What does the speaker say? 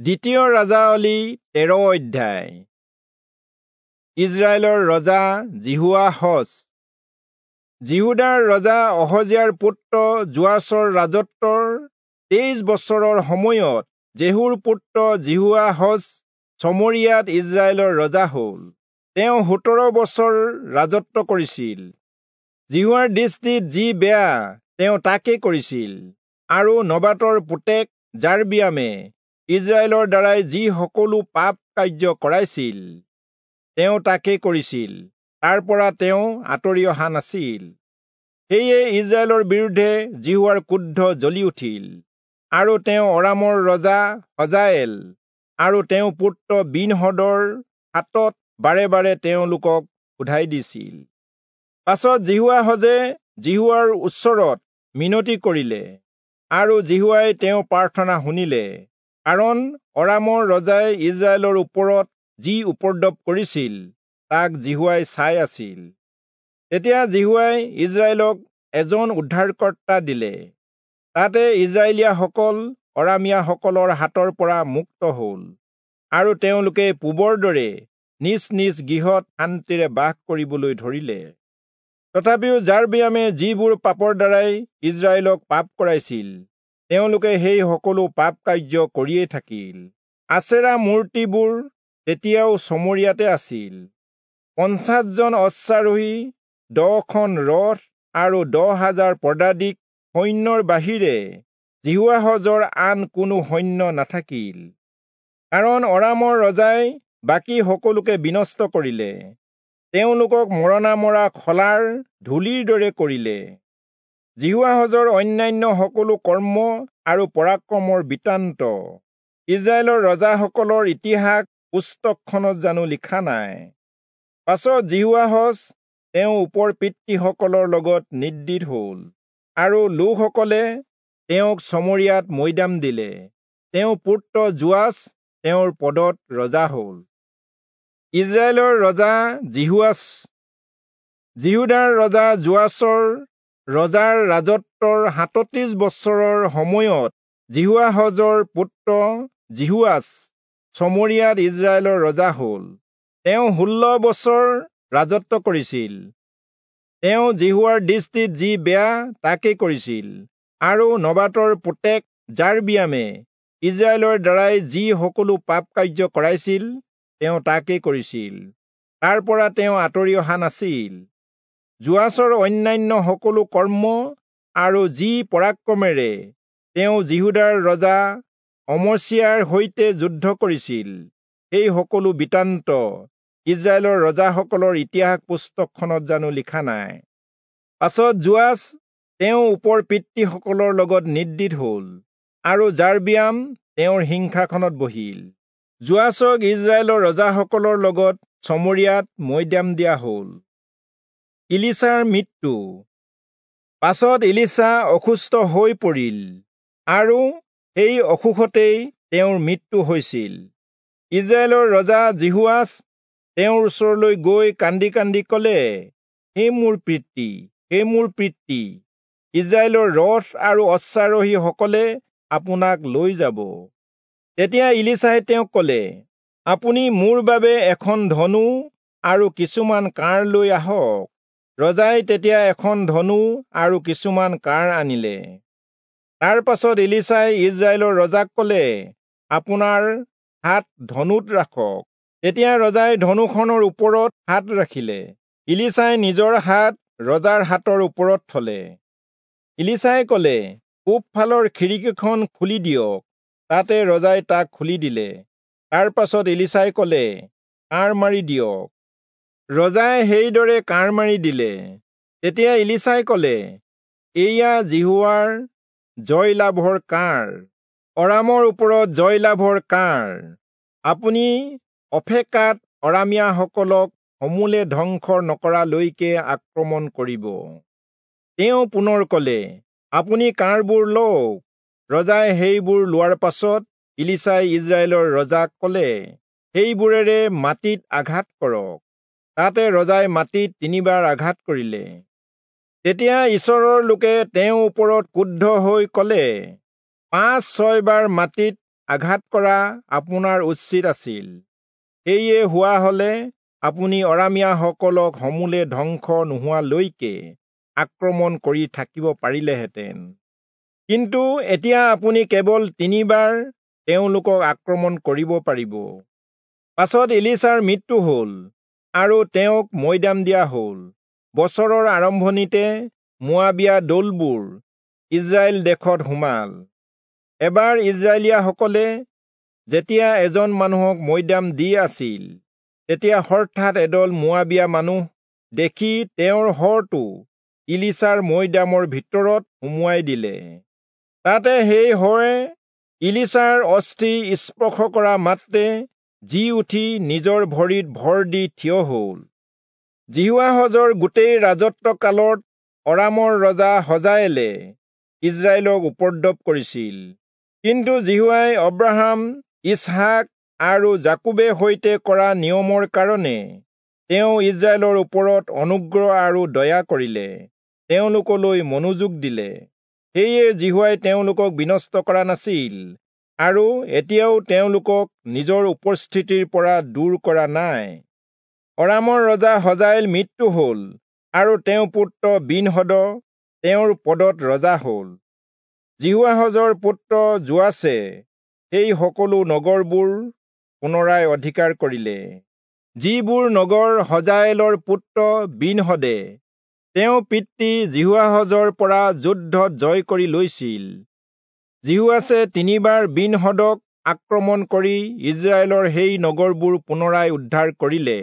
দ্বিতীয় ৰাজাৱলী 13 অধ্যায়। ইজৰাইলৰ ৰজা যিহোৱাহচ। যিহূদাৰ ৰজা অহজিয়াৰ পুত্ৰ যোৱাচৰ ৰাজত্বৰ 23 বছৰৰ সময়ত জেহুৰ পুত্ৰ যিহোৱাহচ চমৰিয়াত ইজৰাইলৰ ৰজা হ'ল। তেওঁ 17 বছৰ ৰাজত্ব কৰিছিল। যিহোৱাৰ দৃষ্টিত যি বেয়া তেওঁ তাকে কৰিছিল, আৰু নবাতৰ পুতেক যাৰবিয়ামে ইজৰাইলৰ দ্বাৰাই যি সকলো পাপ কাৰ্য কৰাইছিল তেওঁ তাকে কৰিছিল, তাৰ পৰা তেওঁ আঁতৰি অহা নাছিল। সেয়ে ইজৰাইলৰ বিৰুদ্ধে যিহোৱাৰ ক্ৰোধ জ্বলি উঠিল, আৰু তেওঁ অৰামৰ ৰজা হজায়েল আৰু তেওঁ পুত্ৰ বিনহদৰ হাতত বাৰে বাৰে তেওঁলোকক সোধাই দিছিল। পাছত যিহোৱাহজে যিহোৱাৰ ওচৰত মিনতি কৰিলে, আৰু যিহোৱাই তেওঁৰ প্ৰাৰ্থনা শুনিলে, কাৰণ অৰামৰ ৰজাই ইজৰাইলৰ ওপৰত যি উপদ্ৰৱ কৰিছিল তাক যিহোৱাই চাই আছিল। তেতিয়া যিহোৱাই ইজৰাইলক এজন উদ্ধাৰকৰ্তা দিলে, তাতে ইজৰাইলীয়াসকল অৰামীয়াসকলৰ হাতৰ পৰা মুক্ত হ'ল, আৰু তেওঁলোকে পূবৰ দৰে নিজ নিজ গৃহত শান্তিৰে বাস কৰিবলৈ ধৰিলে। তথাপিও যাৰবিয়ামে যিবোৰ পাপৰ দ্বাৰাই ইজৰাইলক পাপ কৰাইছিল, তেওঁলোকে সেই সকলো পাপ কাৰ্য কৰিয়েই থাকিল। আচেৰা মূৰ্তিবোৰ তেতিয়াও চমৰিয়াতে আছিল। 50 জন অশ্বাৰোহী, 10খন ৰথ আৰু 10,000 পদাতিক সৈন্যৰ বাহিৰে যিহোৱাহজৰ আন কোনো সৈন্য নাথাকিল, কাৰণ অৰামৰ ৰজাই বাকী সকলোকে বিনষ্ট কৰিলে, তেওঁলোকক মৰণা মৰা খলাৰ ধূলিৰ দৰে কৰিলে। যিহোৱাহজৰ অন্যান্য সকলো কৰ্ম আৰু পৰাক্ৰমৰ বৃত্তান্ত ইজৰাইলৰ ৰজাসকলৰ ইতিহাস পুস্তকখনত জানো লিখা নাই? পাছত যিহোৱাহচ তেওঁ ওপৰ পিতৃসকলৰ লগত নিদ্ৰিত হ'ল, আৰু লোকসকলে তেওঁক চমৰিয়াত মৈদাম দিলে। তেওঁ পুত্ৰ যোৱাচ তেওঁৰ পদত ৰজা হ'ল। ইজৰাইলৰ ৰজা যিহোৱাচ। যিহূদাৰ ৰজা যোৱাচৰ ৰজাৰ ৰাজত্বৰ 37 বছৰৰ সময়ত যিহোৱাহজৰ পুত্ৰ যিহোৱাচ চমৰিয়াত ইজৰাইলৰ ৰজা হ'ল। তেওঁ 16 বছৰ ৰাজত্ব কৰিছিল। তেওঁ যিহোৱাৰ দৃষ্টিত যি বেয়া তাকে কৰিছিল, আৰু নবাতৰ পুতেক যাৰবিয়ামে ইজৰাইলৰ দ্বাৰাই যি সকলো পাপ কাৰ্য কৰাইছিল তেওঁ তাকে কৰিছিল, তাৰ পৰা তেওঁ আঁতৰি অহা নাছিল। যোৱাচৰ অন্যান্য সকলো কৰ্ম আৰু যি পৰাক্ৰমেৰে তেওঁ যিহূদাৰ ৰজা অমচিয়াৰ সৈতে যুদ্ধ কৰিছিল, সেই সকলো বৃত্তান্ত ইজৰাইলৰ ৰজাসকলৰ ইতিহাস পুস্তকখনত জানো লিখা নাই? পাছত যোৱাচ তেওঁ ওপৰ পিতৃসকলৰ লগত নিদ্ৰিত হ'ল, আৰু যাৰবিয়াম তেওঁৰ সিংহাসনত বহিল। যোৱাচক ইজৰাইলৰ ৰজাসকলৰ লগত চমৰিয়াত মৈদাম দিয়া হ'ল। ইলিচাৰ মৃত্যু। পাছত ইলিচা অসুস্থ হৈ পৰিল, আৰু সেই অসুখতেই তেওঁৰ মৃত্যু হৈছিল। ইজৰাইলৰ ৰজা যিহোৱাচ তেওঁৰ ওচৰলৈ গৈ কান্দি কান্দি ক'লে, হে মোৰ পিতৃ, হে মোৰ পিতৃ, ইজৰাইলৰ ৰথ আৰু অশ্বাৰোহীসকলে আপোনাক লৈ যাব। তেতিয়া ইলিচাই তেওঁক ক'লে, আপুনি মোৰ বাবে এখন ধনু আৰু কিছুমান কাঁড় লৈ আহক। ৰজাই তেতিয়া এখন ধনু আৰু কিছুমান কাঁড় আনিলে। তাৰ পাছত ইলিচাই ইজৰাইলৰ ৰজাক ক'লে, আপোনাৰ হাত ধনুত ৰাখক। তেতিয়া ৰজাই ধনুখনৰ ওপৰত হাত ৰাখিলে। ইলিচাই নিজৰ হাত ৰজাৰ হাতৰ ওপৰত থলে। ইলিচাই ক'লে, পূবফালৰ খিৰিকীখন খুলি দিয়ক। তাতে ৰজাই তাক খুলি দিলে। তাৰ পাছত ইলিচাই ক'লে, কাঁড় মাৰি দিয়ক। ৰজাই সেইদৰে কাঁড় মাৰি দিলে। তেতিয়া ইলিচাই ক'লে, এয়া যিহোৱাৰ জয়লাভৰ কাঁড়, অৰামৰ ওপৰত জয়লাভৰ কাঁড়। আপুনি অফেকাত অৰামীয়াসকলক সমূলে ধ্বংস নকৰালৈকে আক্ৰমণ কৰিব। তেওঁ পুনৰ ক'লে, আপুনি কাঁড়বোৰ লওক। ৰজাই সেইবোৰ লোৱাৰ পাছত ইলিচাই ইজৰাইলৰ ৰজাক ক'লে, সেইবোৰেৰে মাটিত আঘাত কৰক। তাতে ৰজাই মাটিত 3 বাৰ আঘাত কৰিলে। তেতিয়া ঈশ্বৰৰ লোকে তেওঁৰ ওপৰত ক্ৰুদ্ধ হৈ ক'লে, 5-6 বাৰ মাটিত আঘাত কৰা আপোনাৰ উচিত আছিল। সেয়ে হোৱা হলে আপুনি অৰামীয়াসকলক সমূলে ধ্বংস নোহোৱালৈকে আক্ৰমণ কৰি থাকিব পাৰিলেহেঁতেন। কিন্তু এতিয়া আপুনি কেৱল 3 বাৰ তেওঁলোকক আক্ৰমণ কৰিব পাৰিব। পাছত ইলিচাৰ মৃত্যু হ'ল আৰু তেওঁক মৈদাম দিয়া হ'ল। বছৰৰ আৰম্ভণিতে মোৱাবীয়া দলবোৰ ইজৰাইল দেশত সোমাল। এবাৰ ইজৰাইলীয়াসকলে যেতিয়া এজন মানুহক মৈদাম দি আছিল, তেতিয়া হঠাৎ এদল মোৱাবীয়া মানুহ দেখি তেওঁৰ শৰটো ইলিচাৰ মৈদামৰ ভিতৰত সুমুৱাই দিলে। তাতে সেই শৰে ইলিচাৰ অস্থি স্পৰ্শ কৰা মাত্ৰে জী উঠি নিজৰ ভৰিত ভৰ দি থিয় হ'ল। যিহোৱাহজৰ গোটেই ৰাজত্ব কালত অৰামৰ ৰজা হজায়েলে ইজৰাইলক উপদ্ৰৱ কৰিছিল। কিন্তু যিহোৱাই অব্ৰাহাম, ইচহাক আৰু যাকোবে সৈতে কৰা নিয়মৰ কাৰণে তেওঁ ইজৰাইলৰ ওপৰত অনুগ্ৰহ আৰু দয়া কৰিলে, তেওঁলোকলৈ মনোযোগ দিলে। সেয়ে যিহোৱাই তেওঁলোকক বিনষ্ট কৰা নাছিল আৰু এতিয়াও তেওঁলোকক নিজৰ উপস্থিতিৰ পৰা দূৰ কৰা নাই। অৰামৰ ৰজা হজায়েল মৃত্যু হ'ল আৰু তেওঁৰ পুত্ৰ বিনহদ তেওঁৰ পদত ৰজা হ'ল। যিহোৱাহজৰ পুত্ৰ যোৱাচে সেই সকলো নগৰবোৰ পুনৰাই অধিকাৰ কৰিলে, যিবোৰ নগৰ হজায়েলৰ পুত্ৰ বিনহদে তেওঁৰ পিতৃ যিহোৱাহজৰ পৰা যুদ্ধত জয় কৰি লৈছিল। যিহোৱাচে 3 বাৰ বিনহদক আক্ৰমণ কৰি ইজৰাইলৰ সেই নগৰবোৰ পুনৰাই উদ্ধাৰ কৰিলে।